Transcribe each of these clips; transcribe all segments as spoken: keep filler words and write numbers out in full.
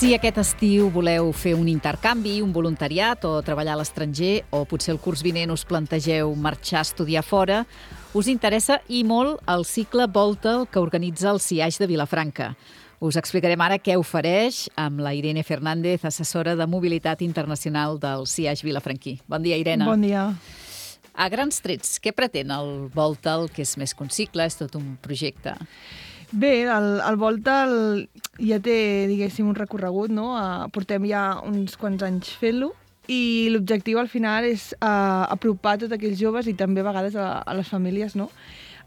Si aquest estiu voleu fer un intercanvi, un voluntariat o treballar a l'estranger, o potser el curs vinent us plantegeu marxar a estudiar fora, us interessa i molt el cicle Volta'l que organitza el C I A X de Vilafranca. Us explicarem ara què ofereix amb la Irene Fernández, assessora de mobilitat internacional del C I A X vilafranquí. Bon dia, Irene. Bon dia. A grans trets, què pretén el Volta'l, que és més que un cicle, és tot un projecte? Bé, el, el Volta'l ja té, diguéssim, un recorregut, no? Uh, portem ja uns quants anys fent-lo i l'objectiu al final és uh, apropar tots aquells joves i també a vegades a, a les famílies, no?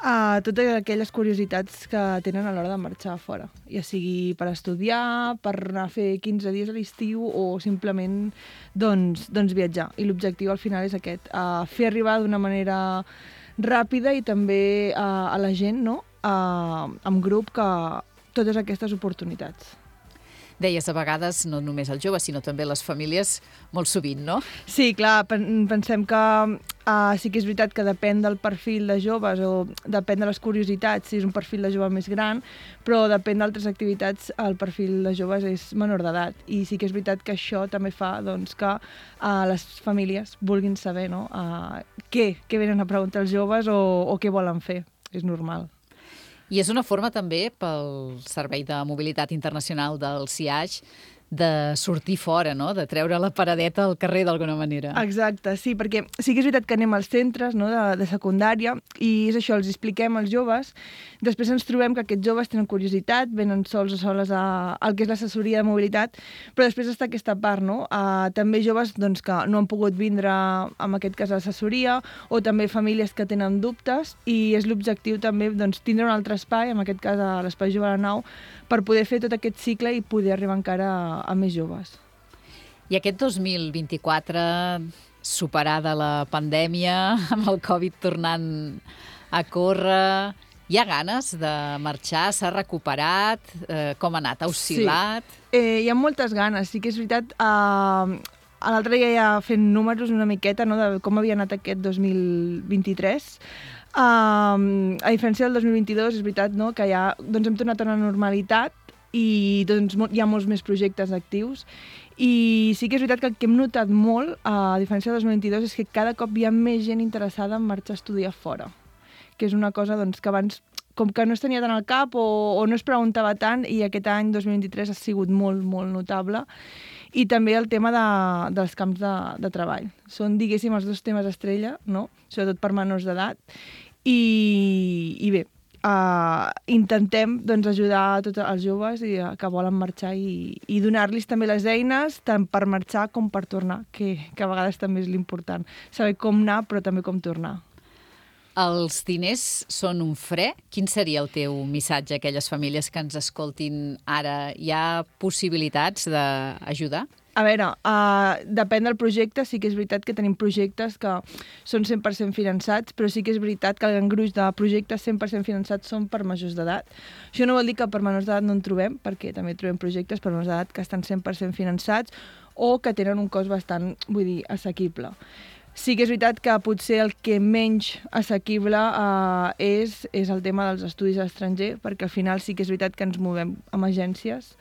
Uh, totes aquelles curiositats que tenen a l'hora de marxar a fora, ja sigui per estudiar, per anar a fer quinze dies a l'estiu o simplement doncs, doncs viatjar. I l'objectiu al final és aquest, uh, fer arribar d'una manera ràpida i també uh, a la gent, no? Uh, amb grup, que totes aquestes oportunitats. Deies, a vegades, no només els joves, sinó també les famílies, molt sovint, no? Sí, clar, pensem que uh, sí que és veritat que depèn del perfil de joves o depèn de les curiositats, si és un perfil de jove més gran, però depèn d'altres activitats, el perfil de joves és menor d'edat. I sí que és veritat que això també fa doncs, que uh, les famílies vulguin saber, no? uh, què, què venen a preguntar els joves o, o què volen fer. És normal. I és una forma també pel Servei de Mobilitat Internacional del C I A X de sortir fora, no? De treure la paradeta al carrer d'alguna manera. Exacte, sí, perquè sí que és veritat que anem als centres, no? de, de secundària i és això, els expliquem als joves, després ens trobem que aquests joves tenen curiositat, venen sols o soles a, al que és l'assessoria de mobilitat, però després està aquesta part, no? Uh, també joves doncs, que no han pogut vindre, en aquest cas, a l'assessoria, o també famílies que tenen dubtes, i és l'objectiu també doncs, tindre un altre espai, en aquest cas a l'Espai Jove a la Nau, per poder fer tot aquest cicle i poder arribar encara a a més joves. I aquest dos mil vint-i-quatre, superada la pandèmia, amb el Covid tornant a córrer, hi ha ganes de marxar? S'ha recuperat? Eh, com ha anat? Ha oscil·lat? Sí. Eh, hi ha moltes ganes. Sí que és veritat, eh, l'altre dia ja fent números una miqueta, no, de com havia anat aquest dos mil vint-i-tres. Uh, a diferència del dos mil vint-i-dos, és veritat, no, que ja doncs, hem tornat a la normalitat i doncs, hi ha molts més projectes actius i sí que és veritat que el que hem notat molt, a diferència del dos mil vint-i-dos, és que cada cop hi ha més gent interessada en marxar a estudiar fora, que és una cosa doncs, que abans com que no es tenia tant al cap o, o no es preguntava tant, i aquest any dos mil vint-i-tres ha sigut molt, molt notable. I també el tema de, dels camps de, de treball. Són, diguéssim, els dos temes estrella, no? Sobretot per menors d'edat. I, i bé, Uh, intentem doncs, ajudar a tots els joves i, uh, que volen marxar i, i donar-los també les eines tant per marxar com per tornar, que, que a vegades també és l'important. Saber com anar, però també com tornar. Els diners són un fre? Quin seria el teu missatge a aquelles famílies que ens escoltin ara? Hi ha possibilitats d'ajudar? A veure, uh, depèn del projecte. Sí que és veritat que tenim projectes que són cent per cent finançats, però sí que és veritat que el gran gruix de projectes cent per cent finançats són per majors d'edat. Això no vol dir que per menors d'edat no en trobem, perquè també trobem projectes per menors d'edat que estan cent per cent finançats o que tenen un cost bastant, vull dir, assequible. Sí que és veritat que potser el que menys assequible uh, és, és el tema dels estudis a l'estranger, perquè al final sí que és veritat que ens movem amb agències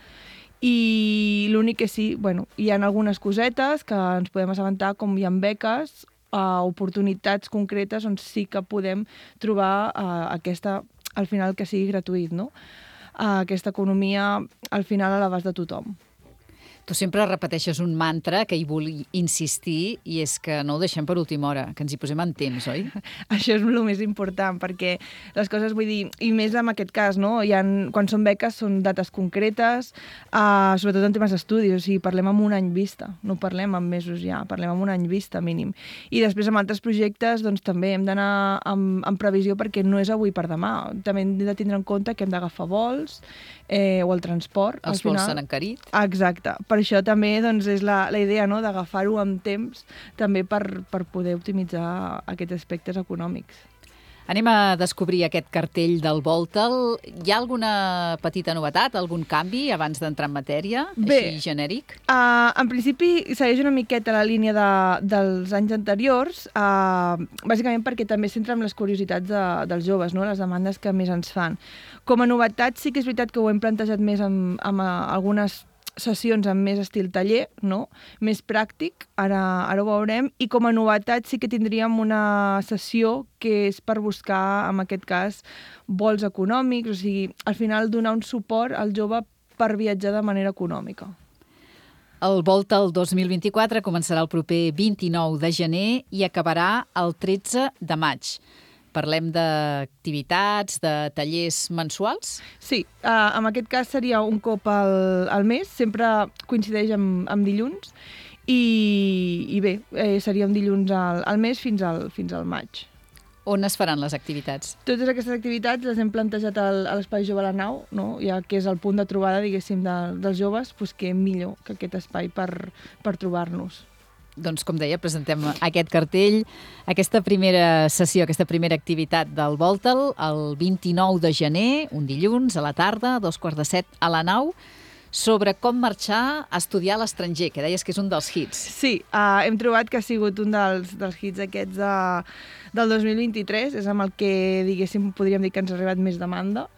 i l'únic que sí, bueno, hi ha algunes cosetes que ens podem assabentar, com hi ha beques, uh, oportunitats concretes on sí que podem trobar uh, aquesta, al final que sigui gratuït, no? Uh, aquesta economia al final a l'abast de tothom. Tu sempre repeteixes un mantra que hi vull insistir i és que no ho deixem per última hora, que ens hi posem en temps, oi? Això és el més important, perquè les coses, vull dir, i més en aquest cas, no? Hi ha, quan són beques són dates concretes, uh, sobretot en temes d'estudis, o sigui, parlem amb un any vista, no parlem en mesos ja, parlem amb un any vista mínim. I després amb altres projectes doncs també hem d'anar amb, amb previsió perquè no és avui per demà. També hem de tindre en compte que hem d'agafar vols eh, o el transport. Els vols s'han encarit. Exacte. Per això també doncs, és la, la idea, no?, d'agafar-ho amb temps també per, per poder optimitzar aquests aspectes econòmics. Anem a descobrir aquest cartell del Volta'l. Hi ha alguna petita novetat, algun canvi abans d'entrar en matèria, Bé, així genèric? Uh, en principi segueix una miqueta la línia de, dels anys anteriors, uh, bàsicament perquè també s'entra amb les curiositats de, dels joves, no?, les demandes que més ens fan. Com a novetat sí que és veritat que ho hem plantejat més amb, amb uh, algunes sessions amb més estil taller, no? Més pràctic, ara, ara ho veurem, i com a novetat sí que tindríem una sessió que és per buscar, en aquest cas, vols econòmics, o sigui, al final donar un suport al jove per viatjar de manera econòmica. El Volta el dos mil vint-i-quatre començarà el proper vint-i-nou de gener i acabarà el tretze de maig. Parlem d'activitats, de tallers mensuals? Sí, uh, en aquest cas seria un cop al, al mes, sempre coincideix amb, amb dilluns, i, i bé, eh, seria un dilluns al, al mes fins al, fins al maig. On es faran les activitats? Totes aquestes activitats les hem plantejat al, a l'Espai Jove a la Nau, no? Ja que és el punt de trobada, diguéssim, de, dels joves, doncs què millor que aquest espai per, per trobar-nos. Doncs, com deia, presentem aquest cartell, aquesta primera sessió, aquesta primera activitat del Voltal, el vint-i-nou de gener, un dilluns, a la tarda, a dos quarts de set, a la Nau, sobre com marxar a estudiar a l'estranger, que deies que és un dels hits. Sí, uh, hem trobat que ha sigut un dels, dels hits aquests de, del dos mil vint-i-tres, és amb el que, diguéssim, podríem dir que ens ha arribat més demanda.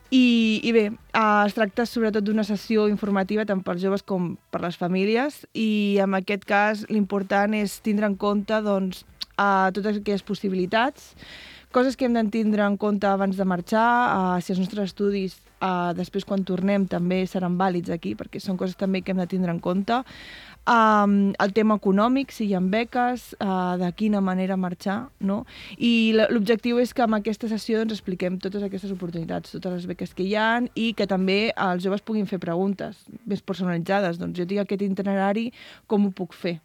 I, i bé, uh, es tracta sobretot d'una sessió informativa tant pels joves com per les famílies, i en aquest cas l'important és tindre en compte doncs, uh, totes aquelles possibilitats, coses que hem de tindre en compte abans de marxar, uh, si els nostres estudis uh, després quan tornem també seran vàlids aquí, perquè són coses també que hem de tindre en compte. Um, el tema econòmic, si hi ha beques, uh, de quina manera marxar, no? I l'objectiu és que amb aquesta sessió doncs, expliquem totes aquestes oportunitats, totes les beques que hi ha, i que també els joves puguin fer preguntes més personalitzades. Doncs jo tinc aquest itinerari, com ho puc fer?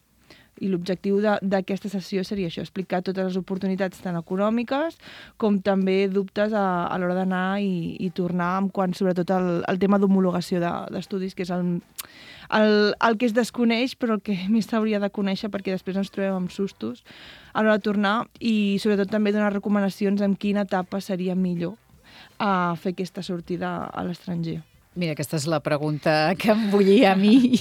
I l'objectiu d'aquesta sessió seria això, explicar totes les oportunitats tant econòmiques com també dubtes a, a l'hora d'anar i, i tornar, en quant sobretot al, al tema d'homologació d'estudis, que és el, el, el que es desconeix però el que més s'hauria de conèixer, perquè després ens trobem amb sustos a l'hora de tornar, i sobretot també donar recomanacions en quina etapa seria millor a fer aquesta sortida a l'estranger. Mira, aquesta és la pregunta que em bullia a mi.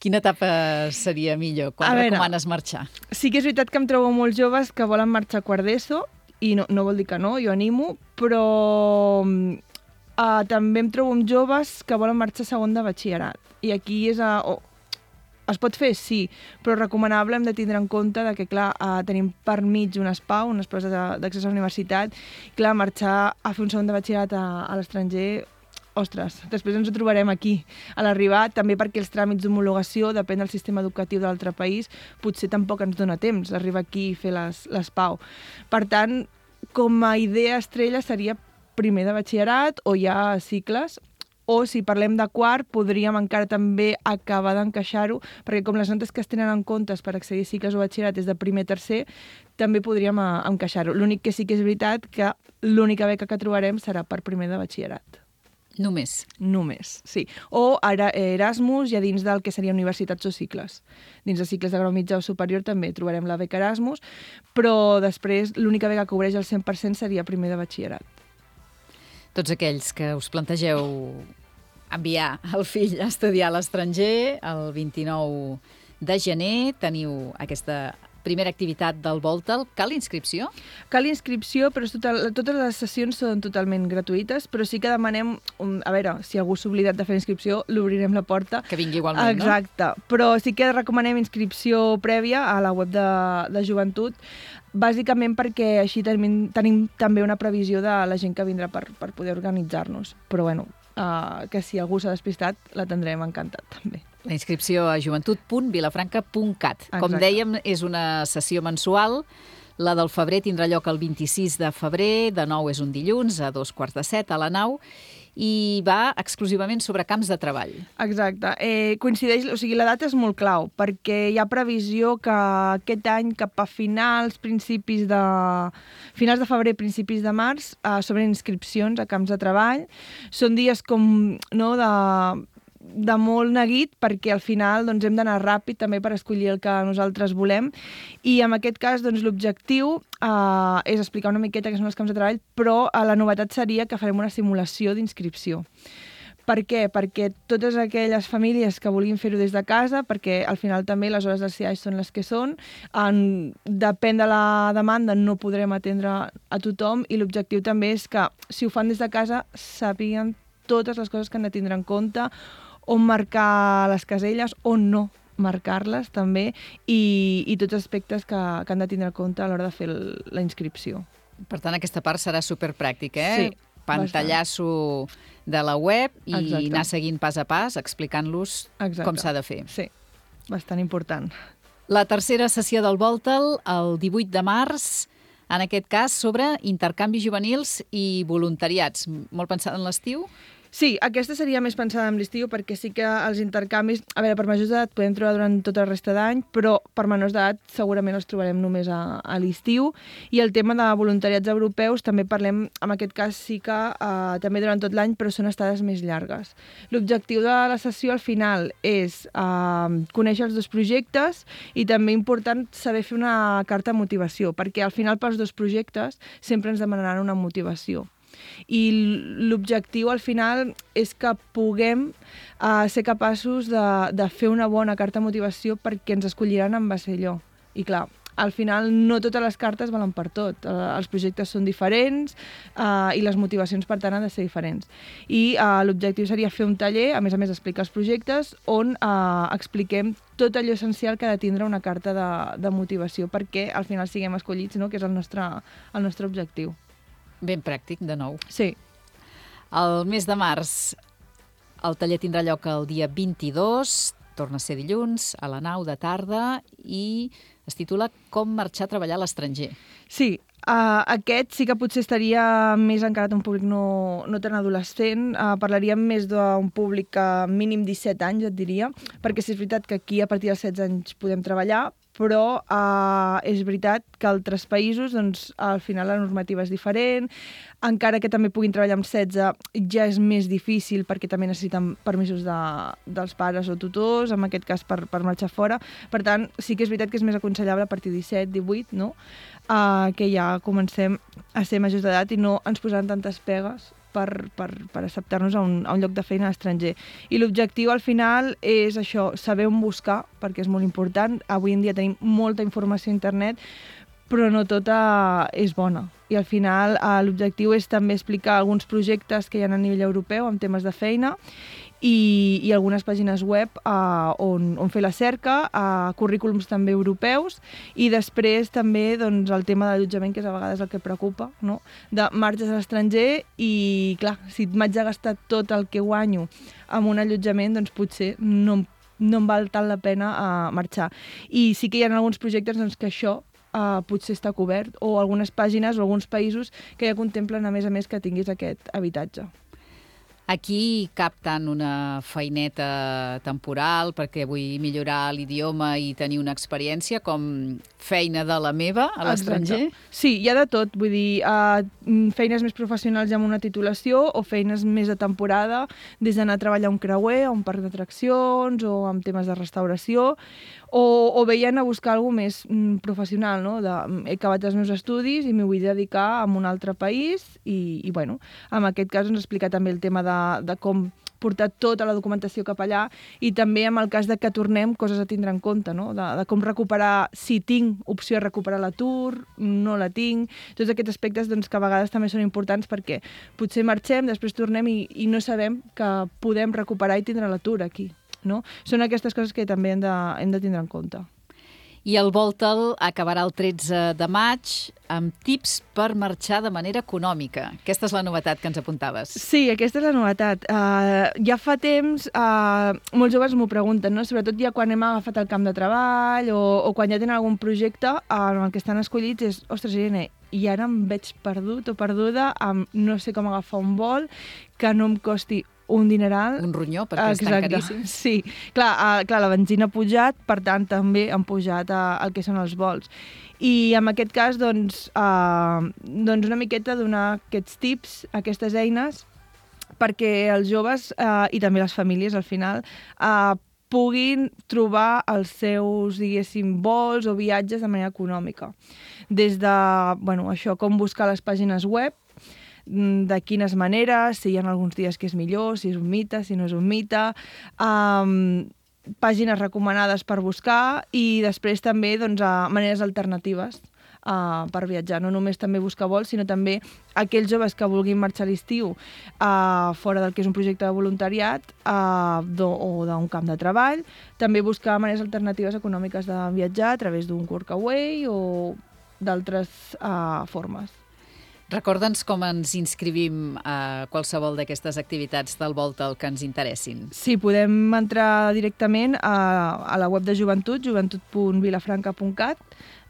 Quina etapa seria millor? Quan veure, recomanes marxar? Sí que és veritat que em trobo molts joves que volen marxar a quart d'ESO, i no, no vol dir que no, jo animo, però uh, també em trobo amb joves que volen marxar a segon de batxillerat. I aquí és a... Oh, es pot fer, sí, però recomanable hem de tindre en compte de que, clar, uh, tenim per mig unes P A U, unes proves d'accés a la universitat, i clar, marxar a fer un segon de batxillerat a, a l'estranger... Ostres, després ens ho trobarem aquí a l'arribar, també perquè els tràmits d'homologació, depèn del sistema educatiu de l'altre país, potser tampoc ens dona temps d'arribar aquí i fer les, les P A U. Per tant, com a idea estrella seria primer de batxillerat o ja cicles, o si parlem de quart, podríem encara també acabar d'encaixar-ho, perquè com les notes que es tenen en comptes per accedir a cicles o batxillerat és de primer tercer, també podríem encaixar-ho. L'únic que sí que és veritat que l'única beca que trobarem serà per primer de batxillerat. Només? Només, sí. O ara Erasmus, ja dins del que serien universitats o cicles. Dins de cicles de grau mitjà o superior també trobarem la beca Erasmus, però després l'única beca que cobreix el cent per cent seria primer de batxillerat. Tots aquells que us plantegeu enviar el fill a estudiar a l'estranger, el vint-i-nou de gener teniu aquesta primera activitat del Voltal. Cal inscripció? Cal inscripció, però total, totes les sessions són totalment gratuïtes, però sí que demanem, un, a veure, si algú s'ha oblidat de fer inscripció, l'obrirem la porta. Que vingui igualment, Exacte. no? Exacte, però sí que recomanem inscripció prèvia a la web de, de joventut, bàsicament perquè així tenim, tenim també una previsió de la gent que vindrà per, per poder organitzar-nos. Però bueno, uh, que si algú s'ha despistat, l'atendrem encantat també. La inscripció a joventut punt vilafranca punt cat. Com dèiem, és una sessió mensual. La del febrer tindrà lloc el vint-i-sis de febrer, de nou és un dilluns, a dos quarts de set, a la Nau, i va exclusivament sobre camps de treball. Exacte. Eh, coincideix, o sigui, la data és molt clau, perquè hi ha previsió que aquest any, cap a finals, principis de... finals de febrer, principis de març, eh, s'obren inscripcions a camps de treball. Són dies com, no, de... de molt neguit, perquè al final doncs, hem d'anar ràpid també per escollir el que nosaltres volem, i en aquest cas doncs, l'objectiu eh, és explicar una miqueta què són els camps de treball, però eh, la novetat seria que farem una simulació d'inscripció. Per què? Perquè totes aquelles famílies que vulguin fer-ho des de casa, perquè al final també les hores del C I A són les que són, en, depèn de la demanda no podrem atendre a tothom, i l'objectiu també és que si ho fan des de casa sàpiguen totes les coses que han de tindre en compte, on marcar les caselles, on no marcar-les també, i, i tots els aspectes que, que han de tindre en compte a l'hora de fer el, la inscripció. Per tant, aquesta part serà superpràctica, eh? Sí, pantallasso de la web i Exacte. anar seguint pas a pas, explicant-los Exacte. com s'ha de fer. Sí, bastant important. La tercera sessió del Voltal, el divuit de març, en aquest cas sobre intercanvis juvenils i voluntariats. Molt pensat en l'estiu? Sí, aquesta seria més pensada en l'estiu perquè sí que els intercanvis, a veure, per majors d'edat podem trobar durant tota la resta d'any, però per menors d'edat segurament els trobarem només a, a l'estiu. I el tema de voluntariats europeus també parlem, en aquest cas sí que eh, també durant tot l'any, però són estades més llargues. L'objectiu de la sessió al final és eh, conèixer els dos projectes i també important saber fer una carta de motivació, perquè al final pels dos projectes sempre ens demanaran una motivació. I l'objectiu al final és que puguem uh, ser capaços de, de fer una bona carta de motivació perquè ens escolliran en base a allò. I clar, al final no totes les cartes valen per tot. Uh, els projectes són diferents uh, i les motivacions per tant han de ser diferents. I uh, l'objectiu seria fer un taller, a més a més explicar els projectes, on uh, expliquem tot allò essencial que ha de tindre una carta de, de motivació perquè al final siguem escollits, no? Que és el nostre, el nostre objectiu. Ben pràctic, de nou. Sí. El mes de març el taller tindrà lloc el dia vint-i-dos, torna a ser dilluns, a la nau de tarda, i es titula Com marxar a treballar a l'estranger. Sí, uh, aquest sí que potser estaria més encarat a un públic no, no tan adolescent. Uh, parlaríem més d'un públic uh, mínim disset anys, et diria, perquè sí és veritat que aquí a partir dels setze anys podem treballar, però uh, és veritat que altres països, doncs, al final la normativa és diferent, encara que també puguin treballar amb setze, ja és més difícil perquè també necessiten permisos de, dels pares o tutors, en aquest cas per, per marxar fora. Per tant, sí que és veritat que és més aconsellable a partir de disset, divuit, no? Uh, que ja comencem a ser majors d'edat i no ens posaran tantes pegues per, per, per acceptar-nos a un, a un lloc de feina a l'estranger. I l'objectiu al final és això, saber on buscar, perquè és molt important. Avui en dia tenim molta informació a internet, però no tota és bona. I al final eh, l'objectiu és també explicar alguns projectes que hi ha a nivell europeu en temes de feina i, i algunes pàgines web eh, on, on fer la cerca, eh, currículums també europeus i després també doncs, el tema de l'allotjament, que és a vegades el que preocupa, no? De marxes a l'estranger i, clar, si m'haig de gastar tot el que guanyo amb un allotjament, doncs potser no, no em val tant la pena uh, marxar. I sí que hi ha alguns projectes doncs, que això uh, potser està cobert, o algunes pàgines o alguns països que ja contemplen, a més a més, que tinguis aquest habitatge. Aquí cap tant una feineta temporal perquè vull millorar l'idioma i tenir una experiència com feina de la meva a l'estranger? Sí, hi ha de tot. Vull dir, uh, feines més professionals amb una titulació o feines més de temporada, des d'anar a treballar a un creuer, a un parc d'atraccions o amb temes de restauració, o, o veient a buscar alguna cosa més mm, professional, no? De, he acabat els meus estudis i m'hi vull dedicar a un altre país i, i bueno, en aquest cas ens explica també el tema de, de com portar tota la documentació cap allà i també en el cas de que tornem coses a tindre en compte, no? De, de com recuperar, si tinc opció de recuperar l'atur, no la tinc, tots aquests aspectes doncs, que a vegades també són importants perquè potser marxem, després tornem i, i no sabem que podem recuperar i tindre l'atur aquí. No? Són aquestes coses que també hem de, hem de tindre en compte. I el Voltal acabarà el tretze de maig amb tips per marxar de manera econòmica. Aquesta és la novetat que ens apuntaves. Sí, aquesta és la novetat. Uh, ja fa temps, uh, molts joves m'ho pregunten, no? Sobretot ja quan hem agafat el camp de treball o, o quan ja tenen algun projecte uh, en el que estan escollits, és, ostres, Irene, i ara em veig perdut o perduda amb no sé com agafar un vol que no em costi un dineral. Un ronyó, perquè Exacte. Estan caríssims. Sí, clar, uh, clar, la benzina ha pujat, per tant també han pujat uh, el que són els vols. I en aquest cas, doncs, uh, doncs una miqueta donar aquests tips, aquestes eines, perquè els joves uh, i també les famílies, al final, uh, puguin trobar els seus, diguéssim, vols o viatges de manera econòmica. Des de, bueno, això, com buscar les pàgines web, de quines maneres, si hi ha alguns dies que és millor, si és un mite, si no és un mite, um, pàgines recomanades per buscar i després també doncs, a maneres alternatives uh, per viatjar. No només també buscar vols, sinó també aquells joves que vulguin marxar a l'estiu uh, fora del que és un projecte de voluntariat uh, do, o d'un camp de treball. També buscar maneres alternatives econòmiques de viatjar a través d'un workaway o d'altres uh, formes. Recorda'ns com ens inscrivim a qualsevol d'aquestes activitats del Voltal que ens interessin. Sí, podem entrar directament a, a la web de Joventut, joventut punt vilafranca punt cat.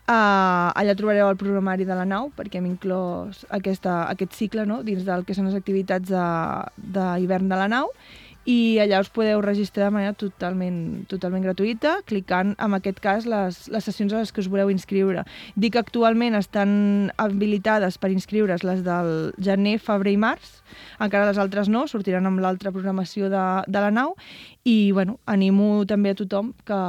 Uh, allà trobareu el programari de la nau, perquè hem inclòs aquesta, aquest cicle, no?, dins del que són les activitats d'hivern de, de la nau, i allà us podeu registrar de manera totalment, totalment gratuïta, clicant, en aquest cas, les, les sessions a les que us voleu inscriure. Dic que actualment estan habilitades per inscriure's les del gener, febrer i març, encara les altres no, sortiran amb l'altra programació de, de la nau, i bueno, animo també a tothom que,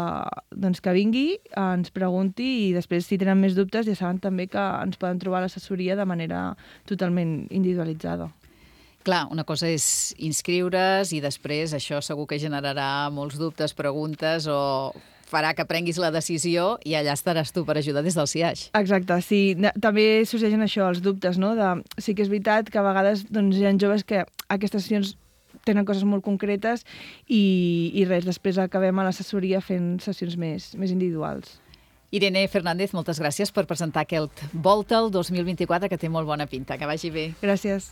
doncs, que vingui, ens pregunti, i després, si tenen més dubtes, ja saben també que ens poden trobar a l'assessoria de manera totalment individualitzada. Clar, una cosa és inscriure's i després això segur que generarà molts dubtes, preguntes o farà que prenguis la decisió i allà estaràs tu per ajudar des del C I A X. Exacte, sí. També sorgeixen això, els dubtes, no? De, sí que és veritat que a vegades doncs, hi ha joves que aquestes sessions tenen coses molt concretes i, i res, després acabem a l'assessoria fent sessions més, més individuals. Irene Fernández, moltes gràcies per presentar aquest Voltal dos mil vint-i-quatre que té molt bona pinta. Que vagi bé. Gràcies.